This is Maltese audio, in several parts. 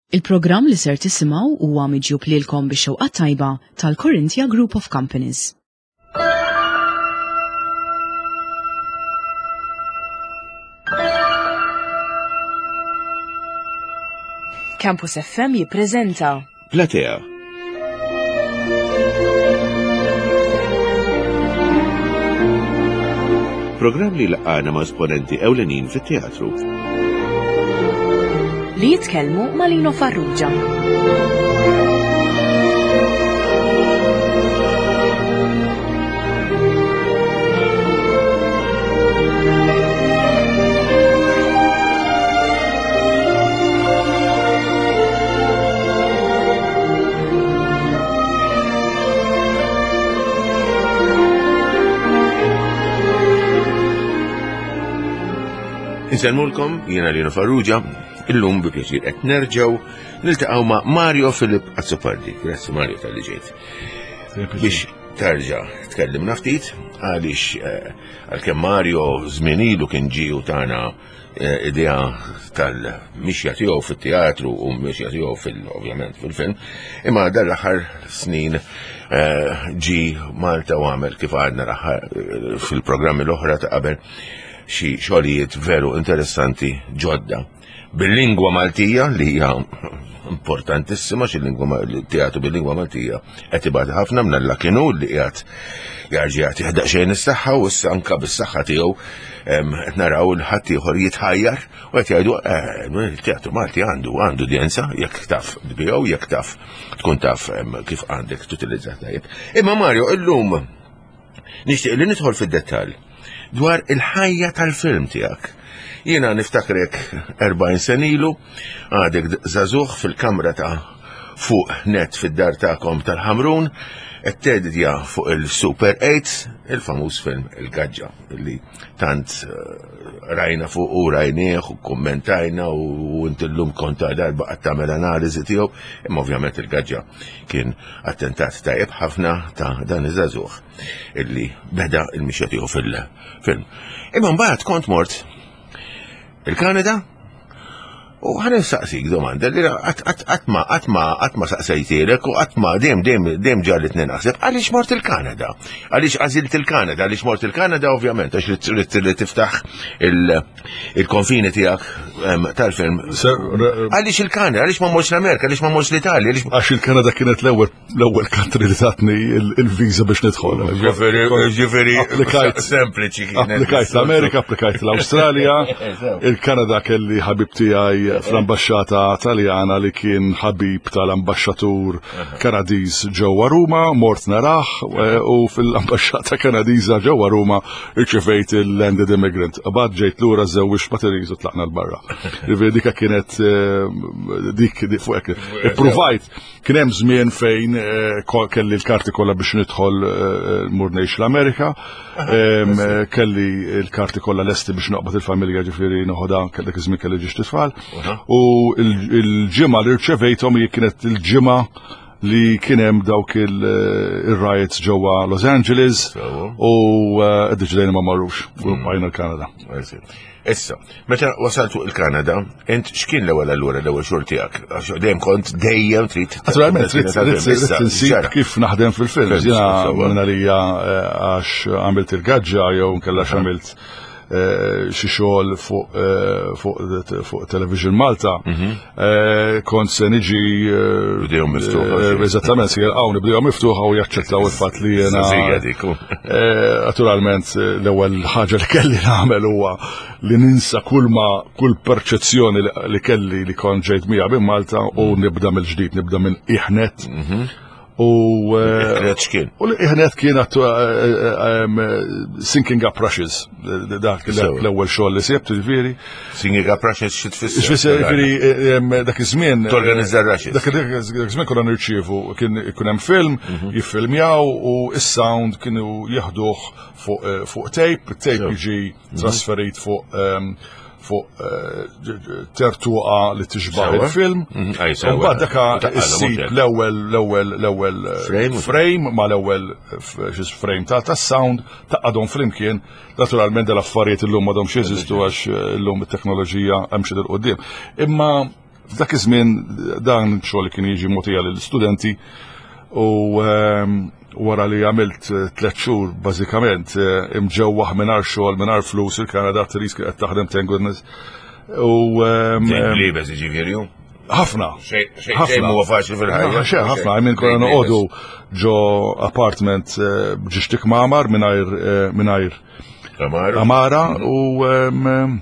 Il-programm li ser tisimgħu huwa miġjub lilkom bix-xewqa tajba tal-Corinthia Group of Companies. Campus FM jippreżenta Platea. Programm li laqgħana ma' esponenti ewlenin fit-teatru. Li jitkellmu ma' Lino Farrugia. Insellmulkom, jiena Lino Farrugia, illum bi pjaċir qed nerġgħu niltaqgħu ma' Mario Filip Azzopardi. Grazzi Mario tal-li ġejt. Biex tarġa' tkellimna ftit għaliex eh, għalkemm Mario żmien ilu kien ġie u tana eh, idea tal-mixja tiegħu fit-teatru u mixja tiegħu fil-ovvjament fil-film, imma dan l-aħħar snin eh, ġi Malta u għamel kif għadna l-aħħar eh, fil-programmi l-oħra ta' qabel xi xogħlijiet veru interessanti ġodda. Bil-lingwa Maltija li hija importantissima xi lingwa teatru bil-lingwa Maltija qed ibad ħafna minn alla kienu li qiegħed jarġa' jagħti daqsxejn is-saħħa u issa anka bis-saħħa tiegħu qed naraw il ħadd ieħor jitħajjar u qed jgħidu eh, il-teatru Malti għandu għandu udjenza jekk taf tbiegħu jekk taf tkun taf kif għandek tutilizza tajjeb. Imma Mario illum nixtieq li nidħol fid-dettall dwar il-ħajja tal-film tiegħek. Jiena niftakrek 40 sen ilu, għadek żagħżugħ fil-kamra ta' fuq net fid-dar tagħkom tal-Ħamrun, qed tedidja fuq il-Super 8, il-famuż film Il-Gaġġa, li tant eh, rajna fuq u rajnieh u kommentajna u inti llum kont darba qed tagħmel analiżi tiegħu, imma ovvjament il-Gaġġa kien attentat tajjeb ħafna ta' dan iż-żagħżugħ illi beda il-mixja tiegħu fil-film. Imma mbagħad kont mort il-Kanada u ħan saqsik domanda li qatt ma qatt ma qatt ma saqsejtielek u qatt ma dejjem dejjem dejjem ġarritni naħseb għaliex mort il-Kanada? Għaliex għażilt il-Kanada? Għaliex mort il-Kanada ovvjament għax ridt li tiftaħ il-konfini tiegħek tal-film. Għaliex il-Kanada? Għaliex ma mortx l-Amerika? Għaliex ma mortx l-Italja? Għax il-Kanada kienet l-ewwel l-ewwel country li tatni il-visa biex nidħol. Ġifieri, ġifieri, applikajt sempliċi kienet. Applikajt l-Amerika, applikajt l-Awstralja, il-Kanada kelli ħabib tiegħi fl-ambaxxata Taljana li kien ħabib tal-ambaxxatur Kanadiż ġewwa Ruma, mort narah eh, u fil-ambaxxata Kanadiża ġewwa Ruma irċevejt il-landed immigrant. Bad ġejt lura żewwix ma' Therese u tlaqna l-barra. Ġifieri dika kienet eh, dik fuq hekk. Ippruvajt Kien hemm żmien fejn eh, kelli l-karti kollha biex nidħol eh, mur ngħix l-Amerika, eh, kelli l-karti kollha lesti biex noqbad il-familja ġifieri noħodha dak iż-żmien kelli ġiex tfal. U l-ġimgħa li rċevejthom hi kienet il-ġimgħa li kien hemm dawk il-riots ġewwa Los Angeles u ddeċidejna ma marrux u hmm. bqajna l-Kanada. Issa, meta wasalt fuq il-Kanada, int x'kien l-ewwel allura l-ewwel xogħol tiegħek? Għax dejjem kont dejjem trid. Naturalment trid trid insib kif naħdem fil-film. Jiena minn għalija eh, għax għamilt il-gaġġa jew nkella għamilt eh, xi xogħol fuq eh, fuq Television Malta. Mhm. Kont se niġi. Bdejhom miftuħa. Eżattament, se jilqgħuni bdejhom miftuħa u jaċċettaw il-fatt li jiena. Naturalment, l-ewwel ħaġa li kelli nagħmel huwa li ninsa kull ma kull perċezzjoni li kelli li kont ġejt miegħha minn Malta u nibda mill-ġdid, nibda minn iħnet. Mhm. U eh, kien. U l-iħnet kien eh, eh, sinking up rushes, dak l-ewwel xogħol li sibt, ġifieri. Sinking up rushes xi tfisser? X'fisser ġifieri dak iż-żmien. Torganizza rushes. Dak iż-żmien konna nirċievu kien ikun hemm film, mhm. jiffilmjaw u s-sound kienu jaħduh fuq tape, tape jiġi mhm. trasferit fuq fuq eh, tertuqa li tixbaħ il-film. Mhm, Mbagħad daka issib l-ewwel l-ewwel l-ewwel eh, frame ma l-ewwel eh, frame ta' tas-sound taqadhom flimkien. Naturalment dal-affarijiet illum m'għadhomx jeżistu għax illum it-teknoloġija hemm xi quddiem. Imma. F'dak iż-żmien dan xogħol li kien jiġi mogħtija lill-istudenti u ehm, wara li għamilt eh, tliet xhur bażikament eh, imġewwaħ mingħajr xogħol mingħajr flus il-Kanada Therese kien qed taħdem thank goodness. U ehm, Libes jiġifieri. Ħafna. Xejn huwa faċli fil-ħajja. Xejn ħafna, I mean konna noqogħdu ġo apartment eh, b'ġixtik mamar mingħajr mingħajr Amara u ehm,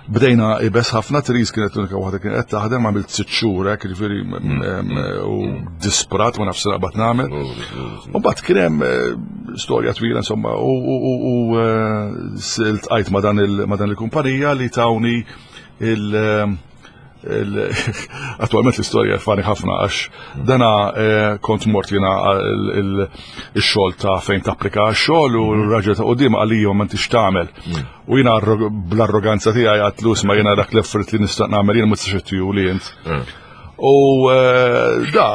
Bdejna ibes ħafna, Therese kienet l-unika waħda kienet qed taħdem, għamilt sitt xhur hekk, jiġifieri mm, mm, u disprat ma nafx naqbad nagħmel. U mbagħad kien hemm eh, storja twila insomma u eh, ltqajt ma' dan il-kumpanija li tawni il- Attualment l-istorja fani ħafna għax dana eh, kont mort jena il-xogħol ta' fejn tapplika għax-xogħol u mm. l-raġel ta' qudiem għalija ma intix tagħmel. Mm. U jiena bl-arroganza tiegħi għatlu ma jiena dak l-effort li nista' nagħmel jiena ma tistax ittiju li int. Mm. U eh, da,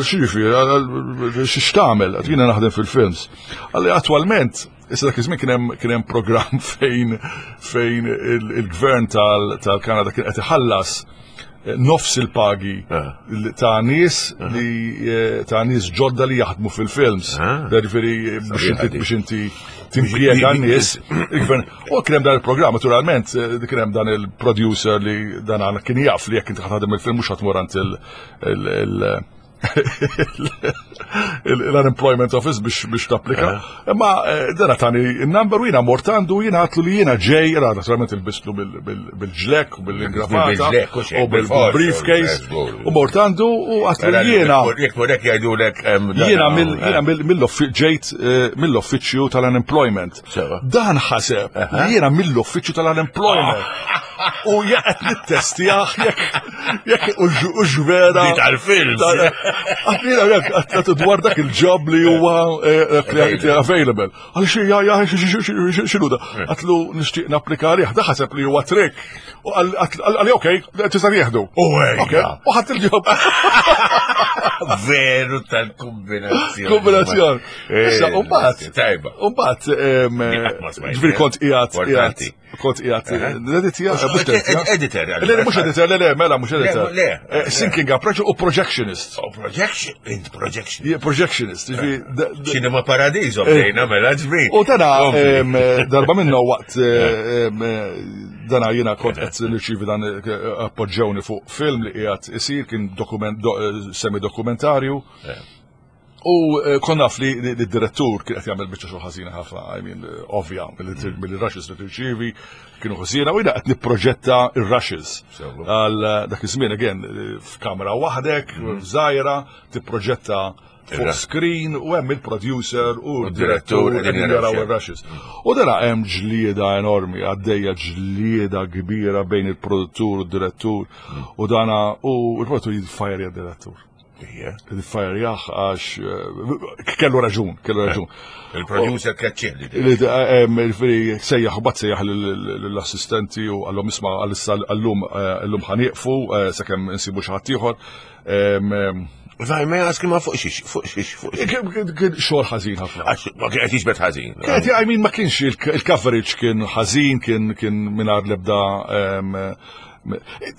xiġifieri, x'tagħmel, jiena naħdem fil-films. Għalli attwalment Issa dak iż-żmien kien hemm kien hemm programm fejn fejn il-gvern tal-Kanada kien qed iħallas eh, nofs il-pagi ah. ta' nies ah. li eh, ta' nies ġodda li jaħdmu fil-films. Ah. Ġifieri biex inti biex inti timpjega n-nies. Il-gvern. U kien hemm dan il-programm, naturalment, eh, kien hemm dan il-producer li dan kien jaf li jekk inti ħadem il-film mhux ħatmur għand il- l-unemployment office biex biex tapplika. Eh. Imma eh, dana tani il-number u jina mort għandu jina għatlu li jina ġej, ra naturalment il-bistlu bil-ġlek u bil-ingravata u bil-briefcase u mort għandu u għatlu li jina. Jek murek jgħidulek. Jina ġejt eh, mill-offiċju tal-unemployment. Dan ħaseb li jiena mill-uffiċċju tal-unemployment. U jaqgħet nittestjah jekk jekk u ġvera. Di tal-film. Għatnina jekk għatnatu dwar dak il-ġob li huwa eh, eh, available. Għal xi ja ja xinu da. Eh. Għatlu nixtieq napplika għalih, da ħaseb li huwa trick. U għalli okej, tista' jieħdu. U ħadd il-ġob. Veru tal-kombinazzjoni. Kombinazzjoni. Issa, eh, u mbagħad. Tajba. U mbagħad ġifieri kont qiegħed qiegħed kont qiegħed l-editja editor. Le mhux editor, le le mela mhux editor. Le. Eh, syncing up u projectionist. Oh, projection, int projection. Projectionist, Cinema Paradiso bdejna mela ġbir. U dana darba minnu waqt dana jiena kont qed nirċievi dan appoġġewni fuq film li qiegħed isir kien dokument semi dokumentarju. U eh, kon naf li d-direttur kien qed jagħmel biċċa xogħol ħażina ħafna, I mean, eh, ovvja, mill-rushes li tirċievi kienu ħażina u jiena qed nipproġetta ir-rushes. Għal eh, dak iż-żmien again f'kamera waħdek, mm. żgħira, tipproġetta fuq screen u hemm il-producer u d-direttur qegħdin jaraw ir-rushes. U dara hemm ġlieda enormi, għaddejja ġlieda kbira bejn il-produttur u d-direttur mm. u dana u l-produttur jitfajr direttur Fire għax eh, kellu raġun, kellu eh, raġun. Il-producer keċċi. Eh, sejjaħ, bat sejjaħ l-assistenti u għallum isma għal-issa għallum għallum ħaniqfu sakemm insibu xi ħadd ieħor. Vaj, ma jgħas ma fuq xiex, fuq xiex, fuq xiex. Kien xogħol ħażin ħafna. Għax ma kien qed jiġbed ħażin. Kien I mean ma kienx il-coverage kien ħażin, kien kien mingħajr l-ebda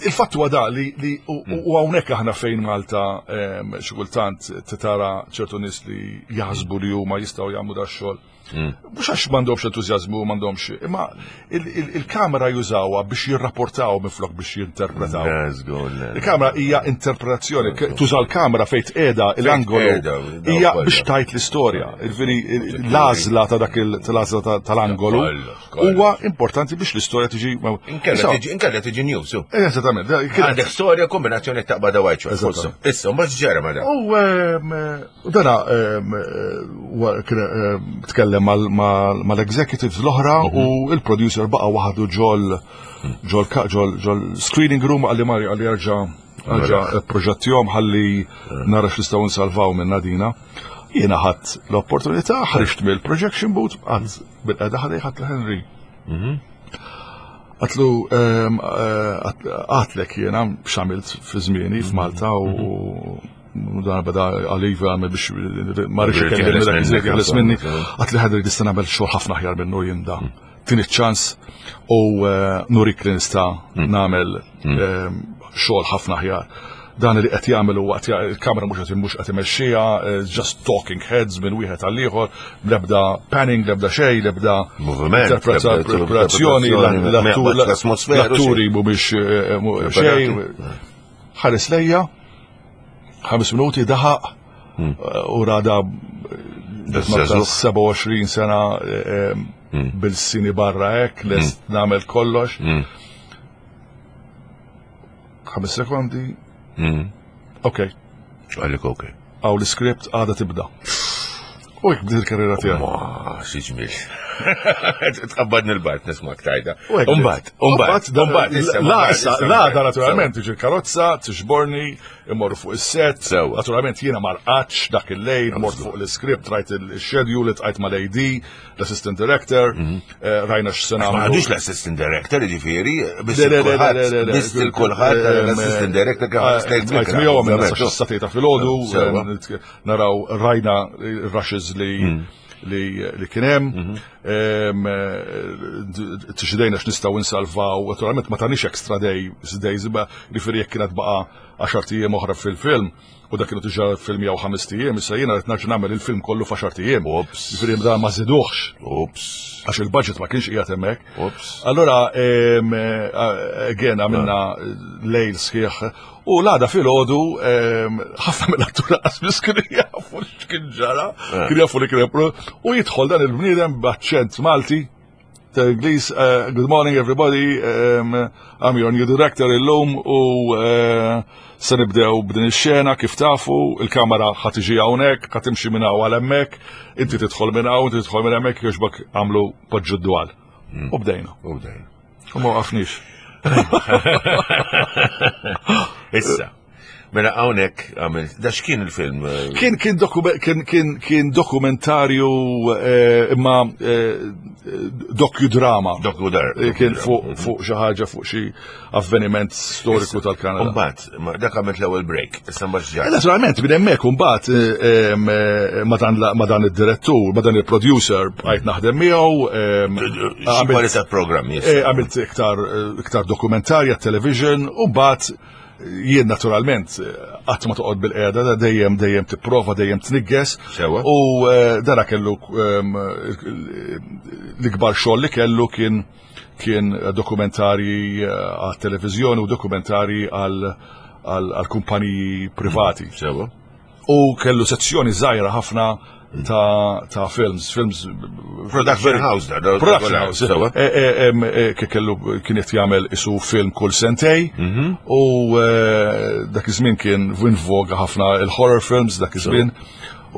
Il-fatt huwa da li u hmm. hawnhekk aħna fejn Malta ehm, xi kultant tara ċertu nies li jaħsbu li huma jistgħu jagħmlu da xogħol. Hmm. Mhux għax m'għandhomx entużjażmu m'għandhomx, imma il-kamera jużawha biex jirrapportaw minflok biex jinterpretaw. Il-kamera hija interpretazzjoni, tuża l-kamera fejn tqiegħda l-angolu hija biex tajt l-istorja. L-għażla ta' dak il-għażla tal-angolu Huwa importanti biex l-istorja tiġi. Inkella tiġi news. Eh, eżattament. Għandek storja kombinazzjoni taqba da white shot. Issa, mbagħad ġara ma U ehm, dana ehm, ehm, tkellem mal-executives l-oħra u mhm. il-producer baqa' waħdu ġol ġol ġol ġol screening room għalli mari għalli jerġa' għalġa proġettjom ħalli nara x'nistgħu nsalvaw minn Nadina. Jiena ħadd l-opportunità, ħriġt mill-projection booth, għad Bil-qeda ħadej ħadd Henry. Mhm. Għatlu ehm, eh, għatlek jiena x'għamilt fi żmieni mhm. f'Malta u mhm. dan beda għaliva għamil biex ma rridx ikellimni dak iż-żied minni. Għatli ħadri tista' nagħmel xogħol ħafna aħjar minnu jien da. Mhm. Tini ċans u eh, nurik li nista' hmm. nagħmel hmm. Eh, xogħol ħafna aħjar. Dan li qed jagħmel huwa il-kamera mhux qed mhux qed imexxiha, eh, just talking heads minn wieħed għal ieħor, l-ebda panning, l-ebda xejn, l-ebda interpretazzjoni, l-atturi mhumiex xejn. Ħares lejja, ħames minuti daħaq hmm. u rada 27 sena eh, eh, hmm. bil-sini barra hekk, lest hmm. nagħmel kollox. Ħames sekondi. Ok. Għalik ok. Għaw l-iskript għada tibda. U jek bdiet il-karriera tiegħi. Ma, xi ġmiel. Tqabbadni l-bart nismak tajda. Umbagħad, umbagħad, umbagħad. La, issa, la, da naturalment tiġi l-karozza, tiġborni, immorru fuq is-set. Naturalment jiena ma rqadx dak il-lejl, mort fuq l-iskript, rajt il-schedule, tqajt mal-AD, l-assistant director, mhm. eh, rajna x'sena. Ma għadux l-assistant director, ġifieri, biss il-kulħadd eh, l-assistant director kif eh, Tqajt miegħu għamilna sa satejta filgħodu, naraw rajna rushes li mm. li, li kien hemm, mhm. tixidejna x'nistgħu insalvaw, naturalment ma tanix extra day, days, imma jiġifieri jekk kienet baqa' 10 ijiem oħra fil-film, u dak kienu diġà filmjaw ħames ijiem, issa jiena qed nerġa' nagħmel il-film kollu f'għaxar ijiem. Jiġifieri da ma żiduhx. Ups. Għax il-budget ma kienx qiegħed hemmhekk. Ups. Allura again għamilna lejl sħiħ u l-għada filgħodu ħafna mill-attura qas kienu jafu x'kien ġara, eh. kienu jafu li kien u jidħol dan il-bniedem b'aċċent Malti ta' Ingliż, eh, good morning everybody, um, I'm your new director illum u uh, se nibdew b'din ix-xena kif tafu, il-kamera ħa tiġi hawnhekk, ħa timxi minn hawn għal hemmhekk, inti tidħol minn hawn, inti tidħol minn hemmhekk jogħġbok għamlu poġġu d-dwal. Hmm. U bdejna. U bdejna. U ma waqafniex. Issa. Mela hawnhekk għamil, da x'kien il-film? Kien kien kien kien kien dokumentarju eh, imma eh, dokudrama. Dokudar. Eh, kien fuq fuq xi ħaġa fuq xi avveniment storiku tal-Kanada. Mbagħad, dak għamilt l-ewwel break, issa mbagħad ġara. Naturalment, minn hemmhekk imbagħad ma dan id-direttur, ma dan il-producer bqajt naħdem miegħu. Xi programmi. Għamilt iktar iktar dokumentarja, television, u mbagħad Jien naturalment qatt ma toqgħod bil-qiegħda dejjem dejjem tipprova dejjem tnigges. U eh, dara kellu ehm, l-ikbar xogħol li kellu kien kien dokumentarji eh, għat televiżjoni u dokumentarji għal kumpaniji privati. Sewa. U kellu sezzjoni żgħira ħafna ta', ta films, films Production house da, Production house. E, e, e, kellu kien qed jagħmel isu film kull sentej mhm. u dak iż-żmien kien in voga ħafna il-horror films dak iż-żmien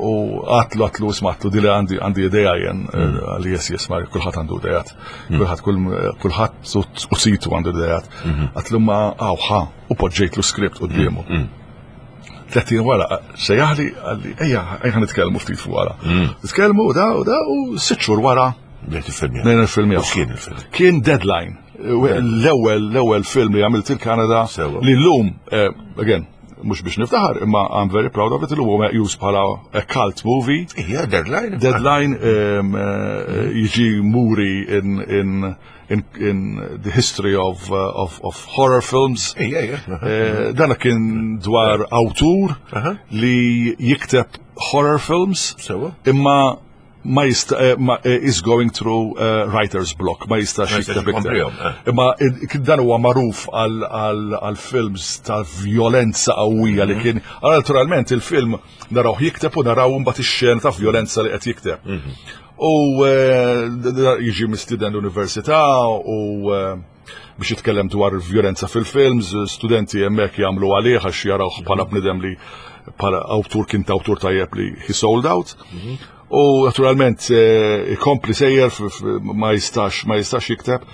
u għatlu għatlu ismatlu dili għandi għandi ideja jen mhm. għalli jes jes ma kulħadd għandu idejat mhm. kulħadd kulħadd u situ għandu idejat għatlu ma għawħa u poġġejtlu script quddiemu. 30 wara, sejjaħli, għalli, ejja, ejja nitkellmu ftit fuq wara. Mm. Nitkellmu da u da u sitt xhur wara. Bdejt il-film. Bdejna il-film Kien il-film? Kien Deadline. L-ewwel l-ewwel film li għamilt il-Kanada li llum, eh, again, mhux biex niftaħar, imma I'm very proud of it, illum huwa meqjus bħala a cult movie. Ija, Deadline. Deadline eh, jiġi muri in, in in, in the history of, uh, of, of horror films. Ija, ija. Eh, dana kien dwar awtur li jikteb horror films. Sewa. Imma ma jista eh, ma eh, is going through uh, writer's block, ma jistax jikteb iktar. Imma dan huwa magħruf għal films ta' violenza qawwija li mhm. kien. Naturalment il-film narawh jikteb u naraw mbagħad ix-xena ta' violenza li qed jikteb. Mhm. U eh, jiġi mistieden l-università u eh, biex jitkellem dwar il-vjolenza fil-films, studenti hemmhekk jagħmlu għalih għax jarawh bħala bnidem li bħala awtur kien ta' awtur tajjeb li he sold out. Mhm. U naturalment eh, ikompli sejjer ma jistax ma jistax jikteb.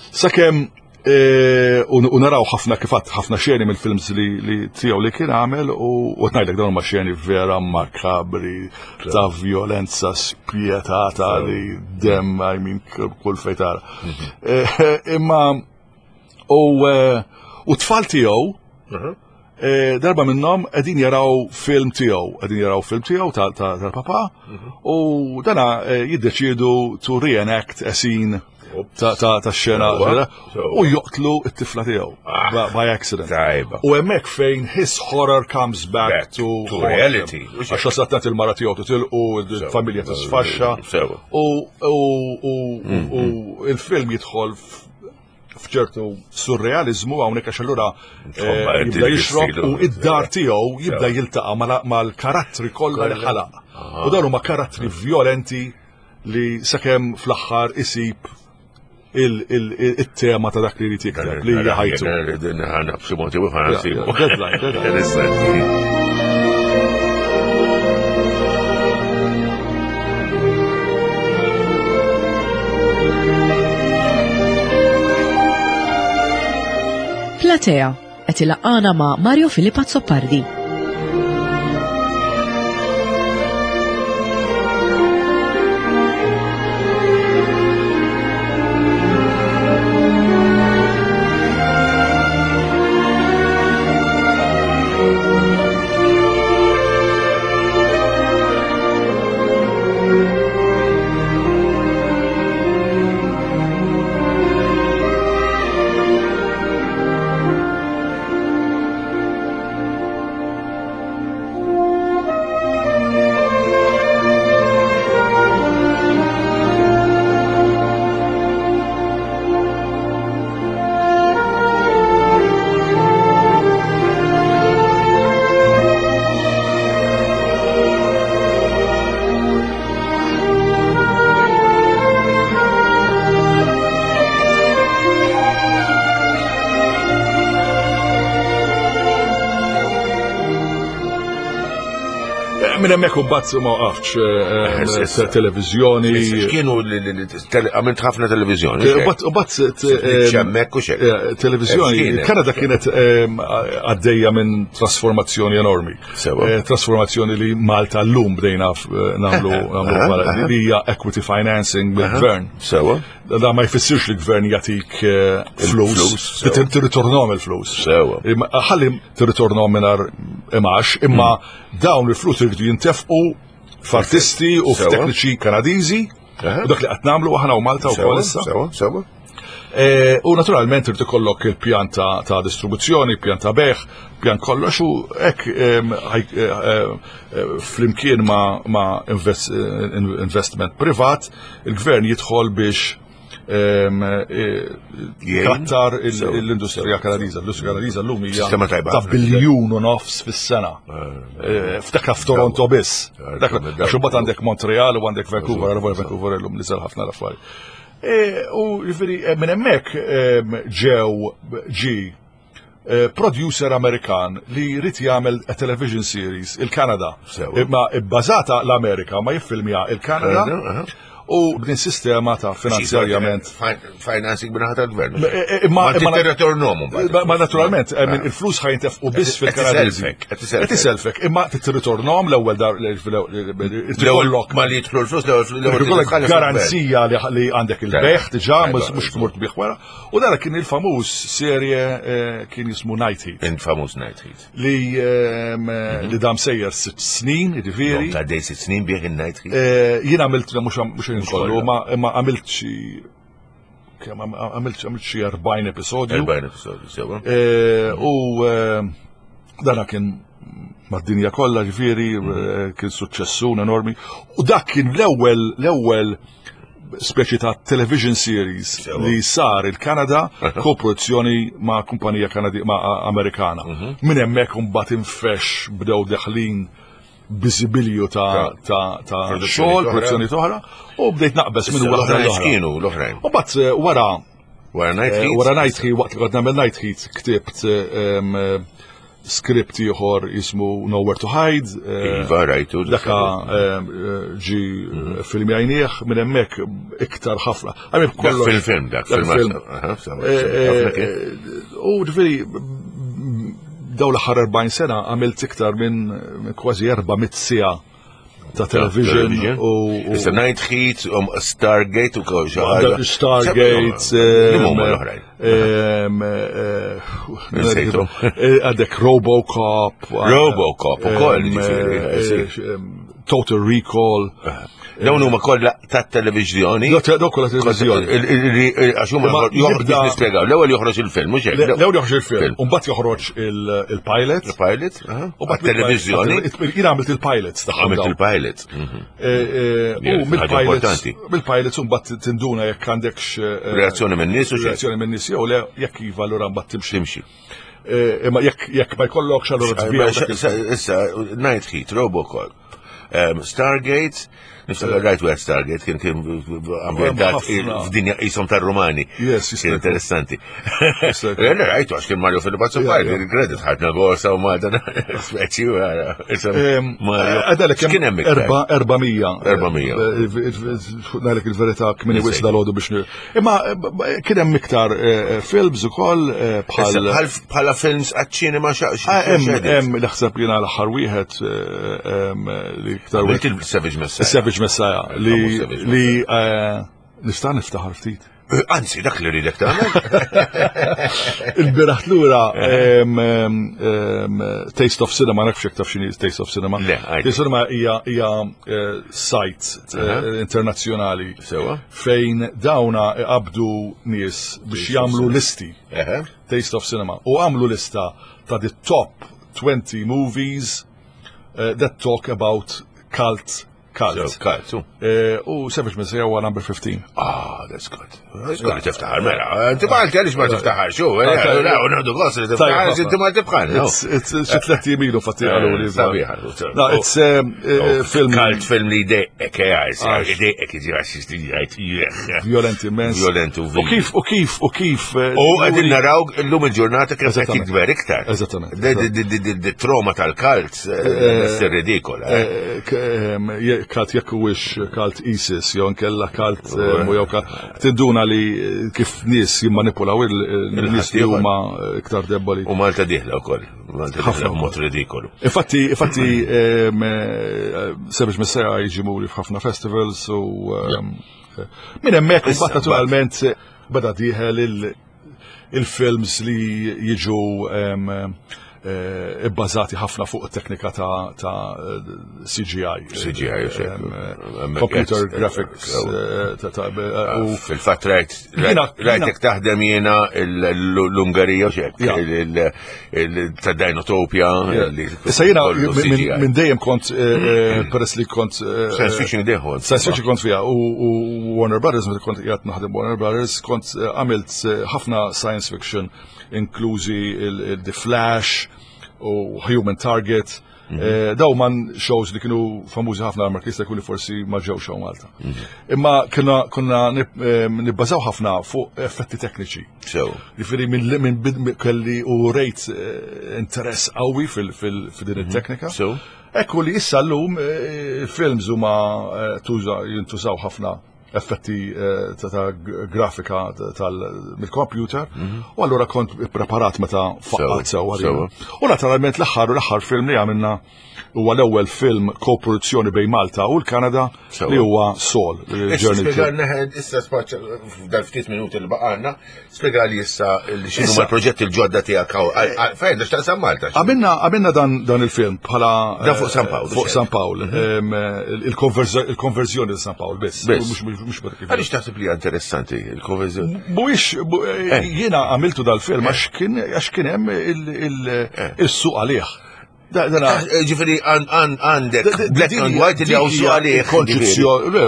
Sakemm E, u naraw ħafna kifat ħafna xeni mill-films li tiegħu li kien għamel u ngħidlek dawn ma xeni vera makabri ta' violenza spjetata li dem I mean kull fejn tara. Mhm. E, imma u e, u tfal tiegħu mhm. darba minnhom qegħdin jaraw film tiegħu, qegħdin jaraw film tiegħu tal-papa mhm. u dana jiddeċiedu to reenact a scene. ta' xena u joqtlu t-tifla tiegħu ah, by accident. Tajba. U hemmhekk fejn his horror comes back, to, reality. Għax sattat il-mara tiegħu titilqu, il-familja tisfaxxa. U mm, mm. il-film jidħol f'ċertu surrealizmu hawnhekk għax allura eh, jibda jixrob u id-dar tiegħu jibda jiltaqa' mal-karattri kollha li ħalaq. U dawn huma karattri violenti li sakemm fl-aħħar isib il-tema ta' dak li jrid jikteb li hija ħajtu. Deadline, deadline. Platea qed ilaqqana ma' Mario Filippo Azzopardi. Minn hemmhekk imbagħad ma waqaftx eh, eh, televiżjoni. Kienu għamilt ħafna televiżjoni. U bat hemmhekk u xejn. Televiżjoni, Kanada kienet għaddejja minn trasformazzjoni enormi. Trasformazzjoni li Malta llum bdejna nagħmlu nagħmlu li hija equity financing mill-gvern. Sewa. Da ma jfissirx li gvern jagħtik flus, tirritornhom il-flus. Sewa. Ħalli tirritornhom mingħajr imax, imma hmm. dawn il-flus irridu jintefqu f'artisti u f'tekniċi Kanadiżi. U dak li qed nagħmlu aħna u Malta wkoll issa. Sewa, sewa. E, u naturalment irid ikollok il-pjan ta' distribuzzjoni, pjan ta' beħ, pjan kollox u hekk e, e, flimkien ma' investment privat, il-gvern jidħol biex kattar l-industrija kanadiża. L-industrija kanadiża llum hija ta' biljun u nofs fis-sena. Ftakar f'Toronto biss. Għax imbagħad għandek Montreal u għandek Vancouver, għal Vancouver illum niżel ħafna l-affarijiet. E, u jiġifieri e, minn hemmhekk ġew ġi e, producer Amerikan li jrid jagħmel a television series il-Kanada. Imma bbażata l-Amerika ma jiffilmja il-Kanada. U b'din sistema ta' finanzjarjament. Financing b'naħa tal-gvern. Imma tirritornom. Ma naturalment, il-flus ħajntef u biss fil-Kanadiżi. Qed iselfek, imma tirritornom l-ewwel dar l-ewwel ma li jidħlu l-flus l-ewwel garanzija li għandek il-beħ diġà mhux tmur tbieħ wara. U dara kien il-famuż serje eh, kien jismu Night Heat. Il-famuż Night Heat. Li ehm, mhm. li dam sejjer sitt snin, jiġifieri. Ta' dej sitt snin bieħ il-Night Heat. Eh, jien għamilt mhux kollu, ma għamilt xi kemm għamilt għamilt xi 40 episodju. 40 episodju, sewa. Eh, u eh, dana kien mad-dinja kollha ġifieri mm. eh, kien suċċessun enormi. U dak kien l-ewwel l-ewwel speċi ta' television series li sar il-Kanada koproduzzjoni ma' kumpanija Kanadi ma' Amerikana. Mhm. Minn hemmhekk imbagħad infex bdew deħlin biżibilju ta' ta' ta' xogħol, produzzjoni oħra, u bdejt naqbeż minn waħda l Kienu l-oħrajn. U bat eh, wara Wara Night eh, Heat. Wara Night Heat, waqt li kont nagħmel Night Heat, ktibt eh, skript ieħor jismu Nowhere to Hide. Iva, rajtu. Daka ġi mhm. film jajnieh minn hemmhekk iktar ħafna. Fil-film dak, fil-film. U ġifieri Dawn l-aħħar 40 sena għamilt iktar minn kważi 400 siegħa ta' television u. Issa Night Heat, um, Stargate u kol Stargate. l-oħrajn. Eh, għandek Robocop. Robocop u kol, ġifieri. Total Recall. Dawn huma kollha tat-televiżjoni. Dawn kollha televiżjoni. Għax huma joħroġ nispjegaw. L-ewwel joħroġ il-film, mhux hekk. L-ewwel joħroġ il-film, u mbagħad joħroġ il-pilot. Il-pilot, u mbagħad televiżjoni. Jien għamilt il-pilots tagħhom. Għamilt il-pilots. Mhm. E, e, u mill-pilots, mill-pilots u mbagħad tinduna jekk għandekx e, reazzjoni minn nies u reazzjoni minn nies jew le jekk iva allura mbagħad timxi. Timxi. Imma jekk ma jkollokx allura tbieħ. Issa, Night Heat, Robocop, Stargate, niftakar rajt wieħed Stargate kien kien ambjentat f'dinja qishom tar-Rumani. Kien interessanti. Jena rajtu għax kien Mario Filipazzo Pardi, il-kredit ħadna gosa u Malta speċi Mario. Għadalek kien hemm iktar. 400. 400. Ngħidlek il-verità kmini wisq dal-għodu biex Imma kien hemm iktar eh, films ukoll eh, bħal bħala films għaċ-ċinema xaqx. Ah, hemm naħseb jiena l-aħħar wieħed eh, li iktar wieħed. Il-Savage Messiah. Savage Messiah li li nista' niftaħar ftit. Anzi, dak li rridek tagħmel. Il-biraħ lura Taste of Cinema, nafx jekk taf x'inhi Taste of Cinema. Taste of Cinema hija site internazzjonali. Sewa. Fejn dawna iqabdu nies biex jagħmlu listi. Taste of Cinema. U għamlu lista ta' the top 20 movies eh, that talk about cult Cult. Cult, eh, u Savage Messiah huwa number 15. Ah, that's good. That's good tiftaħar, mela. Inti Malti għaliex ma tiftaħar, xu? Eh, u nagħdu gost li tiftaħar, inti Malti bħal. Xi tliet jimilu fatti qalu li. Sabiħa. No, it's eh, eh, film. Cult film li jdejqek, jdejqek jiġi għax jgħid. Violent immens. Violent u U kif, u kif, u kif. U qegħdin naraw illum il-ġurnata kif qed jikber iktar. Eżattament. Trauma tal-kalt, eh, ridikola. Eh, eh, kalt jekk huwiex kalt ISIS jew nkella kalt jew tinduna li kif nies jimmanipulaw il-nies li huma iktar deboli. U Malta dieħla wkoll. Malta dieħla b'mod ridikolu. Infatti, infatti Savage Messiah jiġi muri f'ħafna festivals u minn hemmhekk naturalment beda dieħel il-films li jiġu eh, ibbażati ħafna fuq teknika ta' CGI. CGI, Computer graphics. Eh, u fil-fatt rajt, rajtek taħdem jiena l-Ungarija xek, ta' Dinotopia. Issa jiena minn dejjem kont, eh, peress li kont. Science fiction deħol. Science fiction kont fija u Warner Brothers, meta kont qiegħed naħdem Warner Brothers, kont għamilt ħafna science fiction inklużi il-The Flash u Human Target. Mhm. Eh, daw man shows li kienu famużi ħafna għal jista' jkun li forsi ma ġew show Malta. Mhm. Imma kienna konna eh, nibbażaw ħafna fuq effetti tekniċi. Jiġifieri minn kelli u rejt eh, interess qawwi fil-din mhm. it-teknika. Ekku li issa llum films huma jintużaw ħafna effetti eh, ta' grafika mill-computer mhm. u allura kont preparat meta faqqat sewa. U naturalment l-aħħar u l-aħħar film li għamilna huwa l-ewwel film koproduzzjoni bejn Malta u l-Kanada li huwa Sol. Issa spaċċa f'dal ftit minuti li baqgħalna, Spjega li issa x'inhu l-proġetti l-ġodda tiegħek hawn. Fejn biex taqsam Malta. Għamilna għamilna dan dan il-film bħala Dan fuq San Pawl. Fuq San Pawl. Mhm. Il-konverżjoni ta' San Pawl biss. Mhux Għaliex taħseb li interessanti il-konverżjoni? Mhuwiex eh. jiena għamiltu dal-film għax kien għax kien hemm eh. il-suq għalih. Eh, ġifiri għandek black and white li għaw suq għalih. Konċizzjoni,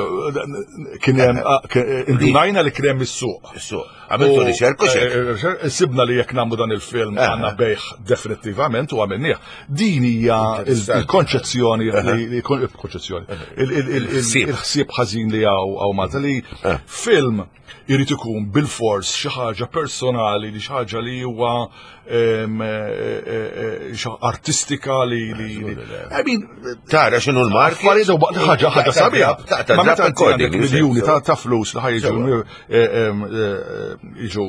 kien hemm, ah, eh, indunajna li kien hemm is-suq. Is-suq. Għamiltu riċerka eh, Sibna li jekk nagħmlu dan il-film għandna bejħ definittivament u għamilnieh. Din hija il-konċezzjoni il-konċezzjoni il-ħsieb ħażin li hawn Malta li film Irid ikun bilfors xi ħaġa personali, li xi ħaġa li huwa eh, eh, eh, artistika li I mean, tara x'inhu l-mark. Ħaġa ħaġa sabiħa. Ma meta għandek miljuni ta' flus li ħajġu jiġu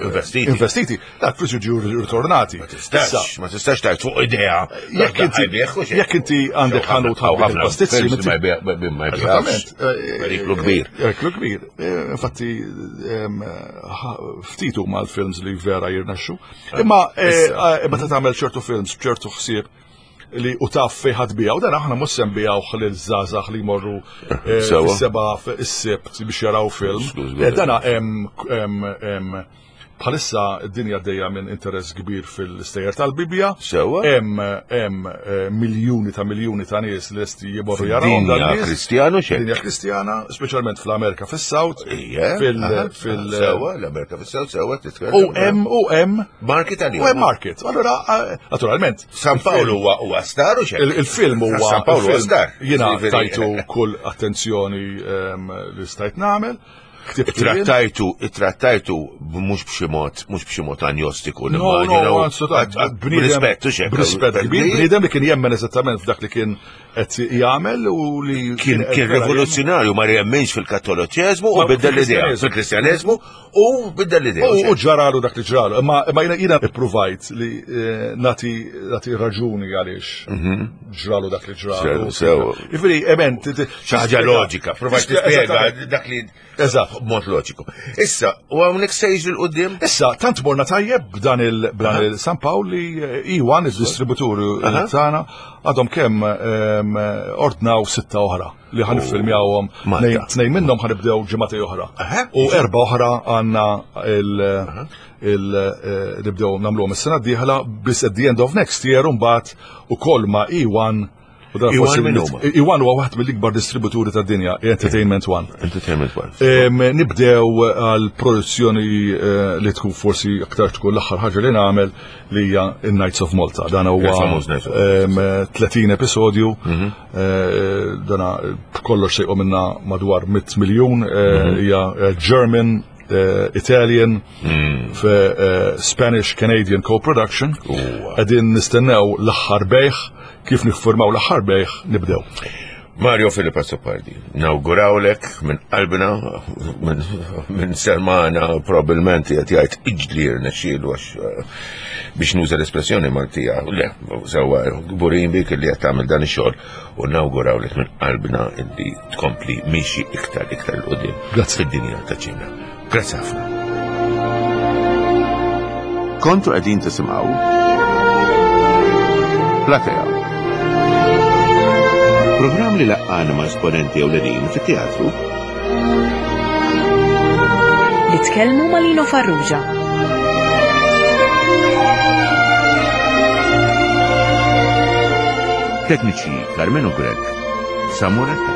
investiti. Investiti, dak flus jiġu ritornati. Ma tistax, ma tistax tajt fuq idea. Jekk inti għandek ħanut ħafna pastizzi, ma jbiex. Periklu kbir. Periklu kbir. Eh, infatti, ftit huma l-films li vera jirnexxu. Imma eh, eh, meta tagħmel ċertu films b'ċertu ħsieb. li u taf fejn ħadd bijaw, dan aħna mhux se nbijawh lil żgħażagħ li jmorru eh, fis-seba is-sibt biex jaraw film. Eh, dana hemm Bħalissa d-dinja għaddejja minn interess kbir fil-stejjer tal-Bibbja. Sewwa. Hemm hemm eh, miljuni ta' miljuni ta' nies li lesti jimorru jaraw dan Dinja nies. Kristjanu xejn. Dinja Kristjana, speċjalment fl-Amerika fis-South. Ija. Fil aha, fil Sewwa, l-Amerika fis-South sewwa titkellem. U hemm u hemm Market għalihom. u hemm market. Allura eh, naturalment. San Paolo huwa huwa star u xejn. Il-film huwa San Paolo huwa il-film star. Jiena Jiġifieri- tajtu kull attenzjoni ehm, li stajt nagħmel. Ktibt jien. Trattajtu, trattajtu mhux b'xi mod, mhux b'xi mod anjostiku. No, no, assolutament. B'rispett, u xejn. B'rispett kbir, bniedem li kien jemmen eżattament f'dak li kien qed jagħmel u li Kien kien rivoluzzjonarju ma jemminx fil-kattoliċeżmu u Ma biddel l-idea. fil-Kristjaneżmu. Fil-Kristjaneżmu u biddel l-idea. U ġaralu dak li ġralu. Imma imma jiena jiena ippruvajt li eh, nati nati raġuni għaliex ġralu dak li ġralu. Mhm. Sew, sew. Jiġifieri, emen, Xi ħaġa loġika, provajt tispjega dak li Eżatt. b'mod loġiku. Issa, u hawnhekk se jiġri l-qudiem? Issa, tant morna tajjeb b'dan il b'dan il San Pawl li E1, il-distributur tagħna, għadhom kemm ehm, ordnaw sitta oħra li ħan iffilmjawhom. Malta. Tnejn minnhom ħanibdew ġimgħatej oħra. Aha. U erba' oħra għandna il il eh, nibdew nagħmluhom is-sena d-dieħla biss at the end of next year mbagħad ukoll ma' E1 u dan E1 forsi min huma? E1 huwa waħed mill-ikbar distributuri tad-dinja, Entertainment One. Entertainment One. Nibdew għal produzzjoni eh, li tkun forsi aktar tkun l-aħħar ħaġa li nagħmel li hija Nights of Malta. Dan huwa Il-famuż Nights of Malta. em, 30 episodju, Mhm. eh, dana kollox sejqu minna madwar 100 miljun, eh, Mhm. hija eh, German, eh, Italian, Mm. fe, eh, Spanish Canadian co-production. Qegħdin nistennew l-aħħar bejħ, kif niffurmaw l-aħħar bejħ nibdew. Mario Filippo Azzopardi, nawgurawlek minn qalbna, minn min Sermana, probabilment qed jgħid iġli rnexxielu għax eh, biex nuża l-espressjoni Maltija, le, sewwa kburin bik li qed tagħmel dan ix-xogħol u nawgurawlek minn qalbna illi tkompli mixi iktar iktar 'l quddiem Grazzi. fid-dinja ta' ċina. Grazzi ħafna. Kontu qegħdin tisimgħu Platea. Programm li laqqana ma' esponenti ewlenin fit-teatru Li tkellmu ma' Lino Farrugia. Tekniċi Carmenu Grek, Samuel Attard.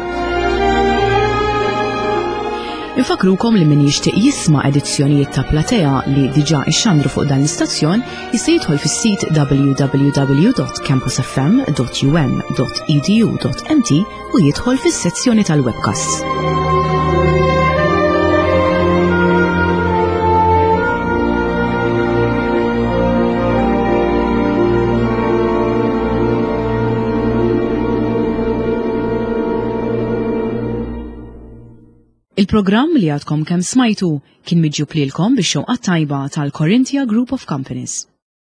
Infakrukom li min jixtieq jisma' edizzjonijiet ta' Platea li diġà ixxandru fuq dan l-istazzjon jista' jidħol fis-sit www.campusfm.um.edu.mt u jidħol fis-sezzjoni tal-webcasts. Il-programm li għadkom kemm smajtu kien miġjub lilkom bix-xewqa tajba tal-Corinthia Group of Companies.